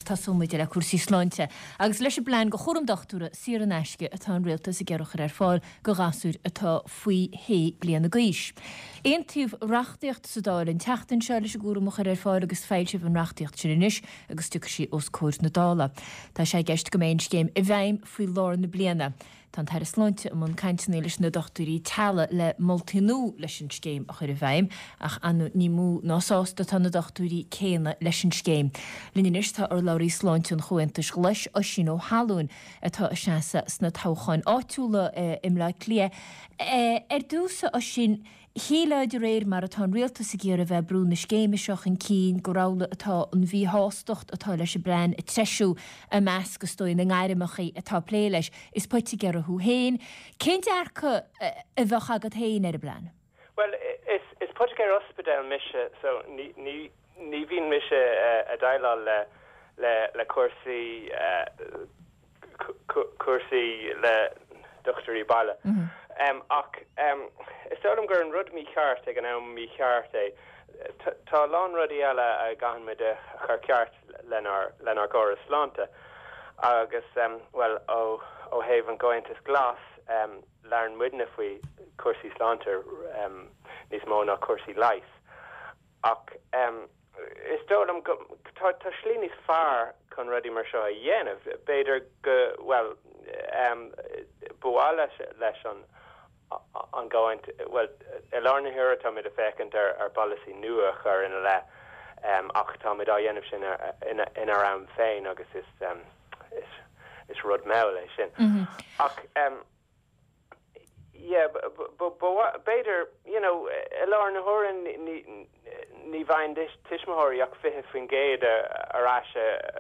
tosóidh muid le cúrsaí sláinte agus leis an bplean go chúram dochtúra saor in aisce atá an Rialtas ag iarraidh a chur ar fáil go ghasúir atá faoi shé bliana d'aois. Aontaíodh reachtaíocht sa Dáil an tseachtain seo leis an gcúram a chur ar fáil agus foilsíodh an reachtaíocht sin anois agus tiocfaidh sí os comhair na Dála. Tá sé i gceist go mbeidh an scéim i bhfeidhm faoi lár na bliana. Tá an tAire Sláinte i mbun cainteanna leis na dochtúirí teaghlaigh le moltaí nua leis an scéim a chur i bhfeidhm, ach ar ndóigh ní mó ná sásta atá na dochtúirí céanna leis an scéim. Linn anois tá urlabhraí sláinte an Chomhaontais Ghlais, Oisín Ó hAllúin, atá ag seasamh sna toghcháin áitiúla i mBleá Cliath. Ar dtús, a Oisín, Shílfeá de réir mar atá an rialtas ag iarraidh a bheith ag brú na scéime seo chun cinn gur amhlaidh atá an mhíshástacht atá leis an bplean ag treisiú i measc, is dóigh, na ngairmeacha atá ag plé leis. Is poitigéir thú féin. Cén dearcadh a bheadh agat féin ar an bplean? Bhuel, is poitigéir ospidéil mise so ní, ní, ní bhíonn mise ag déileáil le, le, le cúrsaí, cúrsaí le dochtúirí baile. Ach is dóigh liom gur an rud mícheart ag an am mícheart é. Tá a lán rudaí eile a gcaitheann muid a chur ceart lenár lenár gcóras sláinte. Agus, bhuel, ó ó thaobh an gComhaontas Glas, labhrann muidne faoi chúrsaí sláinte níos mó ná cúrsaí leighis. Ach is dóigh liom go, tá, tá slí níos fearr chun rudaí mar seo a dhéanamh. B'fhéidir go, bhuel, ba mhaith leis, leis an, an gComhaont, bhuel, i láthair na huaire táimid ag féachaint ar, ar pholasaí nua a chur ina leith ach táimid á dhéanamh sin ina, inár am féin agus is, is, is rud mall é sin. Ach. Yeah, b'fhéidir, you know, i láthair na huaire ní bhfaigheann tuismitheoirí ach 20% ar ais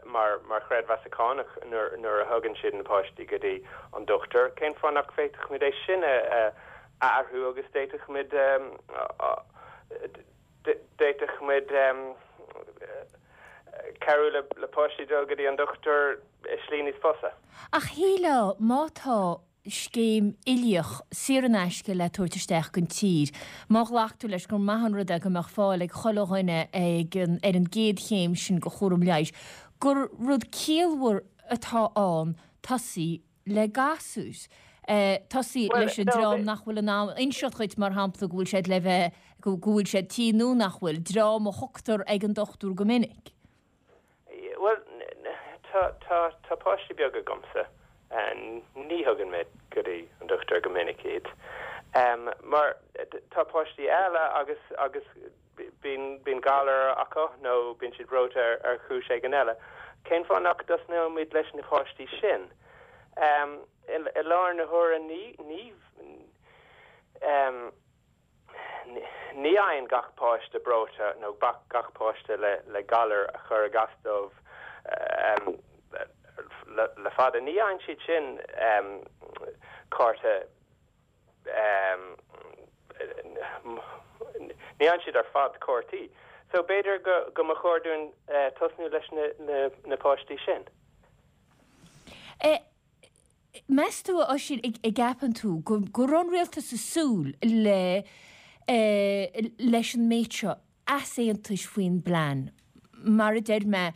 mar mar chreidmheas cánach nuair a thugann siad na páistí go dtí an dochtúir. Cén fáth nach bhféadfadh muid é sin a athrú agus d'fhéadfadh muid d'fhéadfadh muid cabhrú le páistí dul go dtí an dochtúir i slí níos fusa. Ach shílfeá má tá scéim uilíoch, saor in aisce le tabhairt isteach don tír, má ghlactar leis gur maith an rud é go mbeadh fáil ag chuile dhuine ag an ar an gcéad chéim sin de chúram leighis, gur rud ciallmhar atá ann tosaí le gasúir. Tosaí leis an dream nach bhfuil in ann inseacht dhuit, mar shampla, go bhfuil siad le bheith, go bhfuil siad tinn nó nach bhfuil, dream a thugtar ag an dochtúir go minic. Bhuel, tá, tá, tá páistí beaga agamsa. Ní thugann mé go dtí an dochtúir go minic iad. Mar tá páistí eile agus, agus bíonn, bíonn galar acu nó bíonn siad breoite ar, ar chúis éigin eile. Cén fáth nach dtosnóimid leis na páistí sin? I, i láthair na huaire ní, ní, Ní fhaigheann gach páiste breoite nó gach páiste le galar a chuirfeadh as dóibh le fada, ní fhaigheann siad sin cárta, ní fhaigheann siad ar fad cártaí. So b'fhéidir go mba chóir dúinn tosnú leis na páistí sin. Meas tú, a Oisín, an gceapann tú go raibh an rialtas ag súil le leis an méid seo easaontais faoin bplean? Mar a deir mé,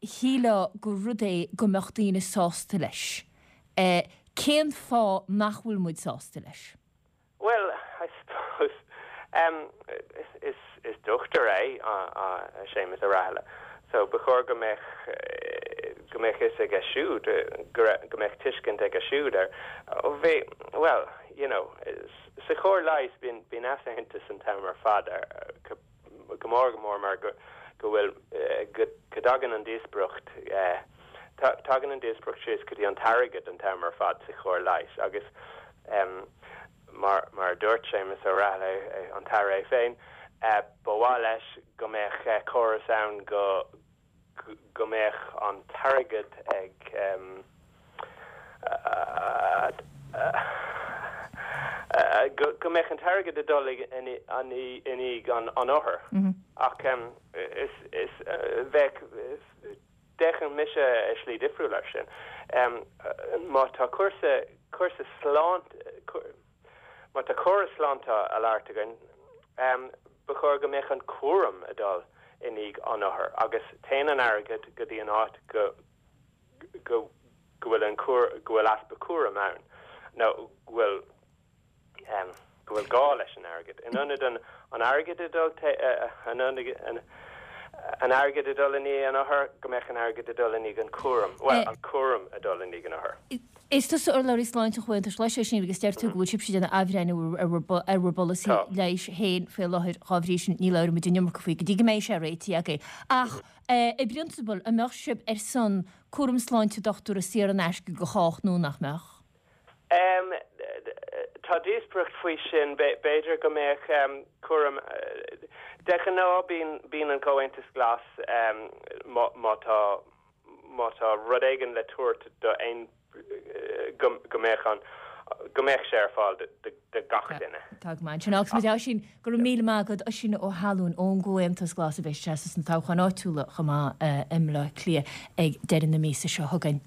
shílfeá gur rud é go mbeadh daoine sásta leis. Cén fáth nach bhfuil muid sásta leis? Bhuel, I suppose, is is dochtúir é Séamus Ó Rathaille, so ba chóir go mbeadh go mbeadh fhios aige siúd, go go mbeadh tuiscint aige siúd air. Bhí, bhuel, you know, sa chóir leighis bíonn bíonn easaontas an t-am ar fad ar go mór go mór mar go go bhfuil go go dtagann an díospóireacht tagann an díospóireacht síos go dtí an t-airgead an t-am ar fad sa chóir leighis agus mar mar a dúirt Séamus Ó Rathaille an tAire é féin ba mhaith leis go mbeadh córas ann go go mbeadh an t-airgead ag go mbeadh an t-airgead ag dul i ndiaidh an othair ach is is bheadh d'fhéachfainn mise i slí difriúil air sin. Má tá cúrsa cúrsa sláinte má tá córas sláinte á labhairt againn ba chóir go mbeadh an cúram ag dul. i ndiaidh an othair agus téann an airgead go dtí an áit go go go bhfuil an go bhfuil easpa cúraim ann nó go bhfuil go bhfuil gá leis an airgead. In ionad an an airgead a dul in an airgead a dul i ndiaidh an othair, go mbeadh an airgead a dul i ndiaidh an cúram, bhuel, an cúram a dul i ndiaidh an othair. Is tusa urlabhraí sláinte an Chomhaontais Ghlais, Oisín, agus deir tú go bhfuil sibhse ag déanamh athbhreithniú ar bhur bpolasaí leighis féin faoi láthair, dhá bhrí sin ní labhróidh muid an iomarca faoi go dtí go mbeidh sé réitithe agaibh. Ach i bprionsabal, an mbeadh sibh ar son cúram sláinte dochtúra saor in aisce go chách nó nach mbeadh? Tá díospóireacht faoi sin. B'fhéidir go mbeadh cúram. De ghnáth bíonn an Comhaontas Glas má tá má tá rud éigin le tabhairt do aon go mbeadh an go mbeadh sé ar fáil do gach duine. Tá go maith ansin. Agus muid Oisín, go raibh míle maith agat, Oisín Ó hAllúin ón gComhaontas Glas a bheas ag seasamh sna toghcháin áitiúla chomh maith i mBleá Cliath ag deireadh na míosa seo chugainn.